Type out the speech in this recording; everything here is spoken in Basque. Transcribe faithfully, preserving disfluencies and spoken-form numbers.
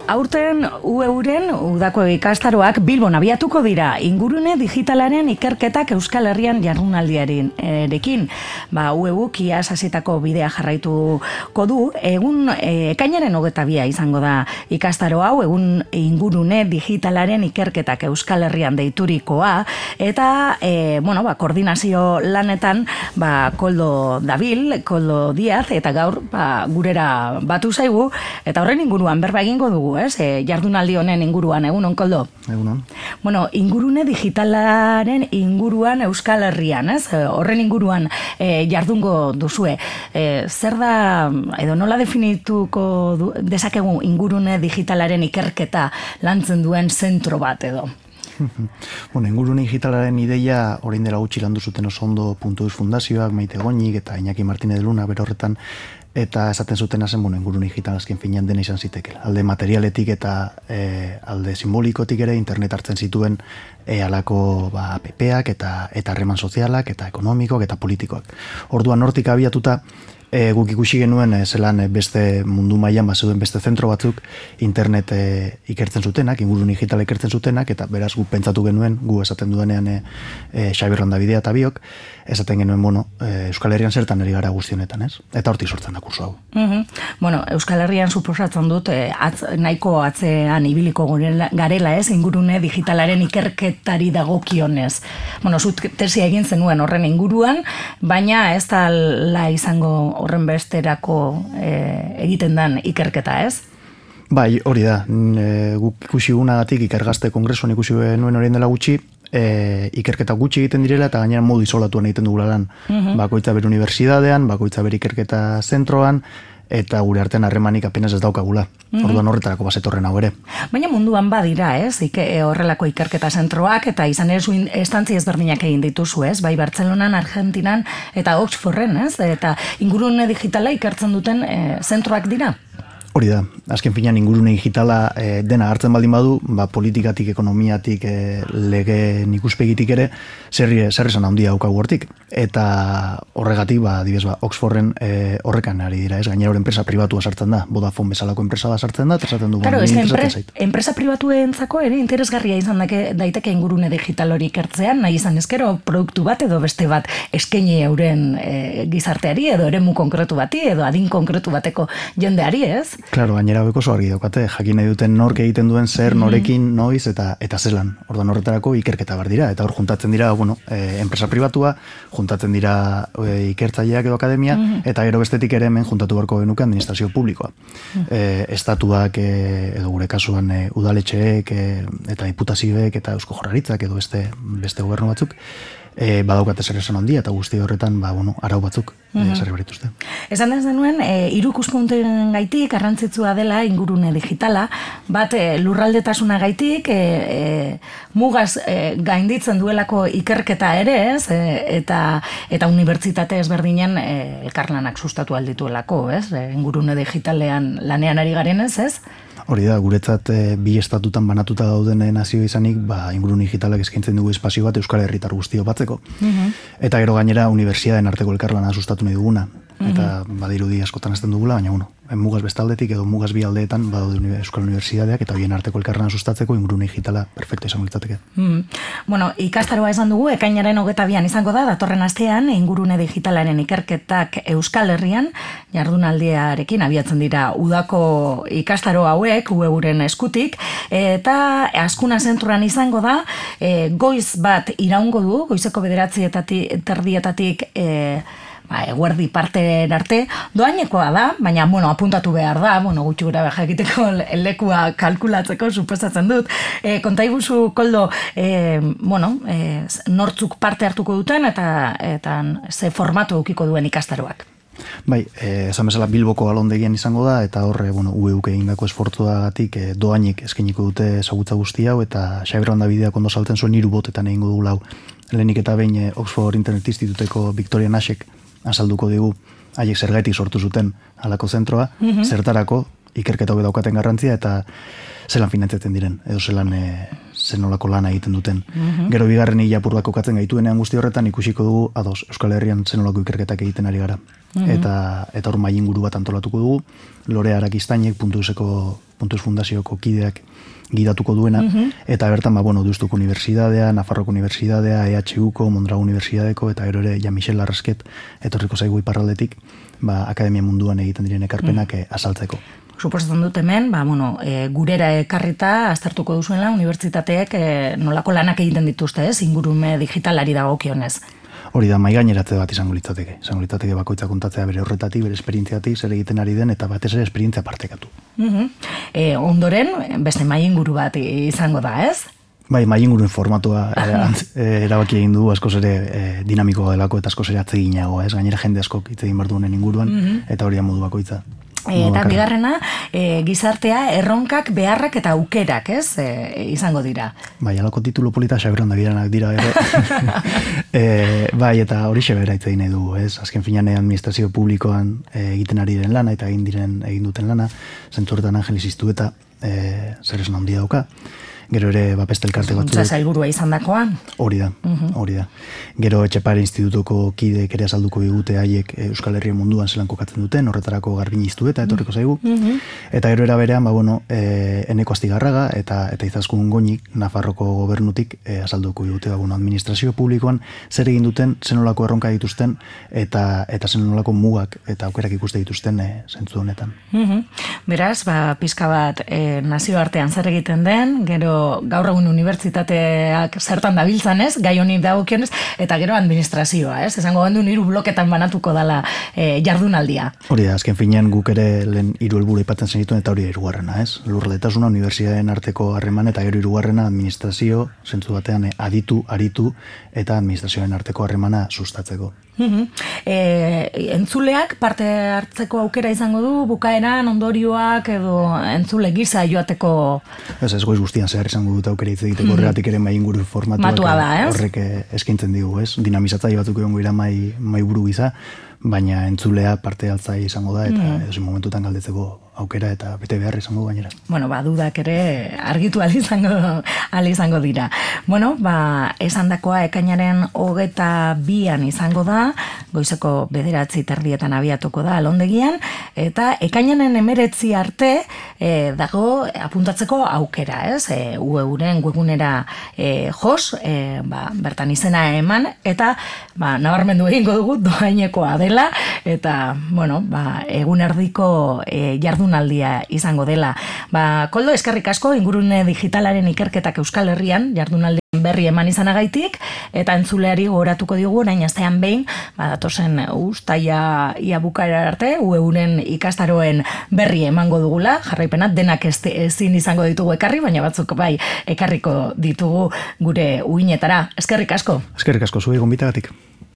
Aurten U Euren udako ikastaroak Bilbon abiatuko dira ingurune digitalaren ikerketak Euskal Herrian jardunaldiarekin. Ba, U Euk iaz hasitako bidea jarraituko du, egun e, ekainaren hogeita bia izango da ikastaro hau, egun ingurune digitalaren ikerketak Euskal Herrian deiturikoa, eta e, bueno, ba, koordinazio lanetan ba, Koldo Dabil, Koldo Diaz, eta gaur ba, gurera batu zaigu, eta horren inguruan berba egingo dugu. Ez? E, jardunaldi honen inguruan, egunon, Koldo? Egunon. Bueno, ingurune digitalaren inguruan Euskal Herrian, ez? Horren inguruan e, jardungo duzue. E, zer da, edo nola definituko du, dezakegu ingurune digitalaren ikerketa lantzen duen zentro bat edo? Bueno, ingurune digitalaren ideia orain dela gutxi landu zuten oso ondo puntu eus fundazioak, Maite Goñik eta Iñaki Martínez de Luna bere horretan, eta esaten zuten zen, bueno, ingurune digital azken finean dena izan zitekela. Alde materialetik eta e, alde simbolikotik ere internet hartzen zituen e, alako ba, appeak eta eta harreman sozialak eta ekonomikoak eta politikoak. Orduan hortik abiatuta E, guk ikusi genuen e, zelan e, beste mundu mailan bazeuden beste zentro batzuk internet e, ikertzen zutenak, ingurune digital ikertzen zutenak, eta beraz guk pentsatu genuen, gu esaten duenean e, e, Xabi Rondabidea eta biok, esaten genuen, bueno, e, Euskal Herrian zertan ari gara guztionetan, ez? Eta hortik sortzen da kurso hau. Mm-hmm. Bueno, Euskal Herrian suposatzen dut, e, atz, nahiko atzean ibiliko garela, ez? Ingurune digitalaren ikerketari dagokionez. Bueno, zut tesia egin zenuen horren inguruan, baina ez da la izango horren besterako e, egiten dan ikerketa, ez? Bai, hori da. E, guk ikusi gunagatik ikergazte kongresuan ikusi nuen horien dela gutxi, e, ikerketa gutxi egiten direla eta gainera modu isolatuan egiten dugula lan. Mm-hmm. Bakoitza bere unibertsitatean, bakoitza bere ikerketa zentroan, eta gure artean harremanik apenas ez daukagula. Mm-hmm. Orduan horretarako bazetorren hau ere. Baina munduan badira, ez? Ike, horrelako ikerketa zentroak, eta izan ere zuen estantzi ezberdinak egin dituzu, ez? Bai Bartzelonan, Argentinan, eta Oxforden, ez? Eta ingurune digitala ikertzen duten e, zentroak dira. Hori da, azken finean ingurune digitala e, dena hartzen baldin badu, ba, politikatik, ekonomiatik, e, lege ikuspegitik ere, zerri esan handia daukagu hortik. Eta horregatik, ba, dibes, ba, Oxforden e, horrekan ari dira, ez? Gainera hor enpresa pribatua sartzen da, Vodafone bezalako enpresa da sartzen da, eta esaten du, claro, bueno, enpresa, enpresa pribatuen ere interesgarria izan dake, daiteke ingurune digital hori ikertzean, nahi izan ezkero produktu bat edo beste bat eskaini euren e, gizarteari, edo eremu konkretu bati, edo adin konkretu bateko jendeari, ez? Claro, gainera beko oso argi daukate, jakin nahi duten nork egiten duen zer, norekin, noiz eta eta zelan. Orduan horretarako ikerketa bar dira, eta hor juntatzen dira, bueno, e, enpresa pribatua, juntatzen dira e, ikertzaileak edo akademia, mm-hmm. eta gero bestetik ere hemen juntatu beharko genuke administrazio publikoa. Mm-hmm. E, estatuak e, edo gure kasuan e, udaletxeek e, eta diputazioek eta Eusko Jaurlaritzak edo beste beste gobernu batzuk, E, badaukate zer esan handia eta guzti horretan ba, bueno, arau batzuk mm-hmm. e, zer berituzte. Esan ez denuen, e, hiru ikuspunten gaitik garrantzitsua dela ingurune digitala, bat e, lurraldetasuna gaitik, e, e, mugaz e, gainditzen duelako ikerketa ere, ez? E, eta eta unibertsitate ezberdinen e, elkarlanak sustatu aldituelako, ez? E, ingurune digitalean lanean ari garen ez, ez? Hori da, guretzat e, bi estatutan banatuta dauden nazio izanik, ba, ingurune digitalak eskaintzen dugu espazio bat Euskal Herritar guztio batzeko. Mm-hmm. Eta gero gainera unibertsitateen arteko elkarlana sustatu nahi duguna. Mm-hmm. Eta badirudi askotan ezten dugula, baina bueno, mugaz bestaldetik edo mugaz bi aldeetan badaude Euskal Unibertsitateak eta bien arteko elkarlana sustatzeko ingurune digitala perfecto izango litzateke. Mm. Bueno, ikastaroa esan dugu, ekainaren hogeita bian izango da, datorren astean ingurune digitalaren ikerketak Euskal Herrian jardunaldiarekin abiatzen dira udako ikastaro hauek, U Euren eskutik, eta Askuna zentroan izango da, e, goiz bat iraungo du, goizeko bederatzietatik, terdietatik, e, ba, eguerdi parteren arte, doainekoa da, baina, bueno, apuntatu behar da, bueno, gutxi gura beha egiteko lekua kalkulatzeko, suposatzen dut. E, kontaiguzu, Koldo, e, bueno, e, nortzuk parte hartuko duten, eta, eta ze formatu eukiko duen ikastaroak. Bai, eh, esan bezala Bilboko alondegian izango da, eta horre, bueno, U Euk egindako esfortzuagatik eh, doainik eskainiko dute ezagutza guzti hau, eta Xabi Rondabideak ondo saltzen zuen hiru botetan egingo du lau. Lehenik eta behin eh, Oxford Internet Instituteko Victoria Nashek azalduko digu haiek zergaitik sortu zuten halako zentroa, mm-hmm. zertarako ikerketa hobe daukaten garrantzia eta zelan finantzatzen diren, edo zelan e, zenolako lana egiten duten. Mm-hmm. Gero bigarren hilapurrak kokatzen gaituenean guzti horretan ikusiko dugu, ados, Euskal Herrian zenolako ikerketak egiten ari gara. Mm-hmm. Eta eta hor mailinguru bat antolatuko dugu, Lore Arakistainek puntu euseko Puntu Eus Fundazioko kideak gidatuko duena, mm-hmm. eta bertan, ba, bueno, Deustuko Unibertsitatea, Nafarroko Unibertsitatea, E H Uko, Mondragon Unibertsitateko, eta gero ere, ja Michel Larrasket, etorriko zaigu iparraldetik, ba, akademia munduan egiten diren ekarpenak mm. azaltzeko. Suposatzen dut hemen, ba, bueno, e, gurera ekarrita aztertuko duzuela, unibertsitateek e, nolako lanak egiten dituzte, ez, ingurume digitalari dagokionez. Hori da, maigaineratze bat izango litzateke. Izango litzateke bakoitza kontatzea bere horretatik, bere esperientziatik, zer egiten ari den, eta batez ere esperientzia partekatu. Uh-huh. E, ondoren, beste mai inguru bat izango da, ez? Bai, mai inguruen formatua erabaki egin du, askoz ere e, dinamikoa delako, eta askoz ere atseginago, ez? Gainera jende askok hitz egin behar duenen inguruan, uh-huh. eta hori da modu bakoitza. Eta bigarrena, e, gizartea, erronkak, beharrak eta aukerak, ez, e, izango dira. Bai, alako titulu polita xaberan da biranak dira, ere. e, bai, eta hori xabera hitz egin nahi dugu, ez? Azken finean administrazio publikoan e, egiten ari den lana, eta egin diren egin duten lana, zentzuretan Angelis Iztueta, e, zer esan handia dauka. Gero ere bapeste elkarte batzu. Zuntza zailburua izan dakoan. Hori da, uh-huh. hori da. Gero Etxepare Institutuko kideek ere azalduko digute haiek Euskal Herria munduan zelan kokatzen duten, horretarako Garbini Iztueta etorriko zaigu. Uh-huh. Eta gero era berean, ba, bueno, e, Eneko Astigarraga eta eta Izaskun Goñik, Nafarroko gobernutik e, azalduko digute, ba, bueno, administrazio publikoan zer egin duten, zenolako erronka dituzten, eta eta zenolako mugak eta aukerak ikuste dituzten e, zentzu honetan. Uh-huh. Beraz, ba, pizka bat e, nazioartean zer egiten den, gero gaur egun unibertsitateak zertan dabiltzan, ez? Gai honi dagokionez, eta gero administrazioa, ez? Esango gendu hiru bloketan banatuko dala e, jardunaldia. Hori da, azken finean guk ere lehen hiru helburu aipatzen zenituen, eta hori da hirugarrena, ez? Lurraldetasuna, unibertsitateen arteko harreman, eta gero hirugarrena administrazio, zentzu batean aditu, aritu, eta administrazioen arteko harremana sustatzeko. Uhum. E, entzuleak parte hartzeko aukera izango du, bukaeran ondorioak edo entzule gisa joateko... Ez ez goiz guztian zehar izango dut aukera hitz egiteko, horregatik ere mai inguru formatuak da, horrek eskaintzen digu, ez? Dinamizatzaile batzuk egongo ira mai, mai buru gisa, baina entzulea parte hartzaile izango da, eta mm. edozein momentutan galdetzeko aukera eta bete behar izango gainera. Bueno, ba, dudak ere argitu ahal izango, ahal izango dira. Bueno, ba, esandakoa ekainaren hogeta bian izango da, goizeko bederatzi terdietan abiatuko da alondegian, eta ekainaren emeretzi arte e, dago apuntatzeko aukera, ez? E, U E-uren webgunera e, jos, e, ba, bertan izena eman, eta ba, nabarmendu egingo dugu doainekoa dela, eta, bueno, ba, egun erdiko e, jardunaldia izango dela. Ba, Koldo, eskerrik asko, ingurune digitalaren ikerketak Euskal Herrian, jardunaldi berri eman izanagaitik, eta entzuleari gogoratuko digu, orain astean behin, ba, datozen uztaia ia bukaera arte, U E-uren ikastaroen berri emango dugula, jarraipena denak ez, ezin izango ditugu ekarri, baina batzuk bai ekarriko ditugu gure uinetara. Eskerrik asko. Eskerrik asko, zuei gonbitagatik.